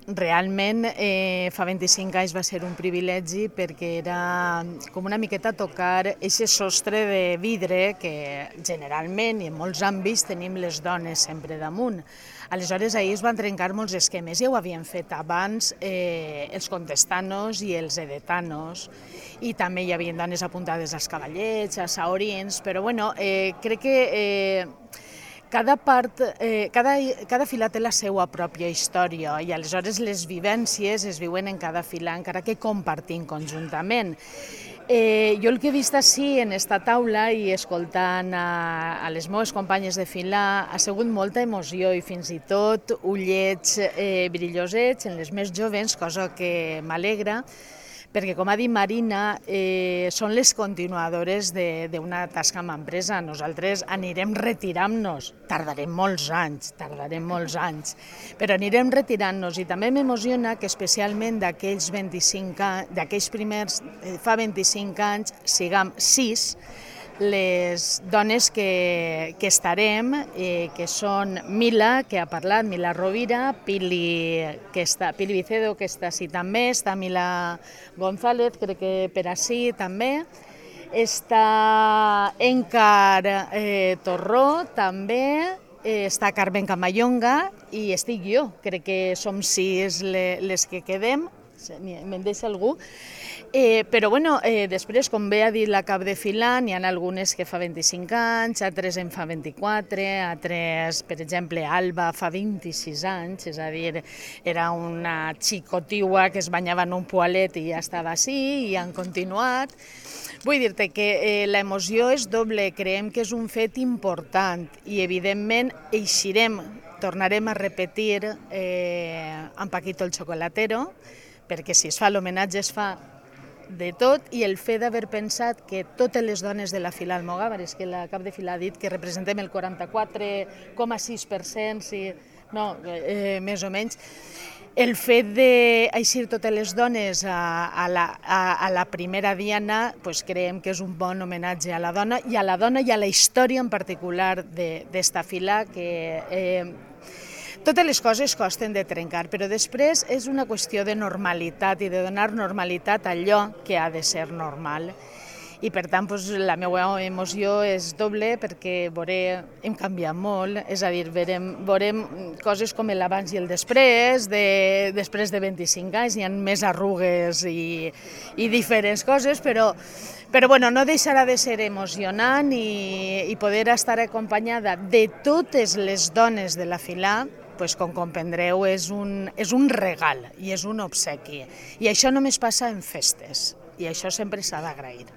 Realment, fa 25 anys va ser un privilegi perquè era com una miqueta tocar aquest sostre de vidre que generalment i en molts àmbits tenim les dones sempre damunt. Aleshores, ahir es van trencar molts esquemes. Ja ho havien fet abans els contestanos i els edetanos, i també hi havia dones apuntades als cavallets, als saorins, però bueno, crec que cada fila té la seva pròpia història i aleshores les vivències es viuen en cada fila, encara que compartim conjuntament. Jo el que he vist així en esta taula i escoltant a les meves companyes de fila ha sigut molta emoció i fins i tot ullets brillosets en les més joves, cosa que m'alegra, perquè, com ha dit Marina, són les continuadores d'una tasca amb empresa. Nosaltres anirem retirant-nos, tardarem molts anys, però anirem retirant-nos, i també m'emociona que especialment d'aquells primers, fa 25 anys, siguem 6, les dones que estarem, que són Mila, que ha parlat, Mila Rovira, Pili Vicedo, que està així també, està Mila González, crec que per així també, està Encar Torró també, està Carmen Camayonga i estic jo, crec que som 6 les que quedem, me'n deixa algú. Però bueno, després, com bé ha dit la cap de fila, n'hi ha algunes que fa 25 anys, altres en fa 24, altres, per exemple, Alba fa 26 anys, és a dir, era una xicotiua que es banyava en un poalet i ja estava així, i han continuat. Vull dir-te que l'emoció és doble, creiem que és un fet important i evidentment eixirem, tornarem a repetir amb Paquito el Chocolatero, perquè si es fa l'homenatge es fa de tot, i el fet d'haver pensat que totes les dones de la fila Almogàver, és que la cap de fila ha dit que representem el 44,6%, més o menys, el fet d'eixir totes les dones a la primera diana, creiem que és un bon homenatge a la dona i a la història en particular d'esta fila, que totes les coses costen de trencar, però després és una qüestió de normalitat i de donar normalitat a allò que ha de ser normal. I per tant, la meva emoció és doble perquè hem canviat molt, és a dir, veurem coses com l'abans i el després de 25 anys, hi ha més arrugues i diferents coses, però bueno, no deixarà de ser emocionant i poder estar acompanyada de totes les dones de la fila, com comprendreu, és un regal i és un obsequi. I això només passa en festes, i això sempre s'ha d'agrair.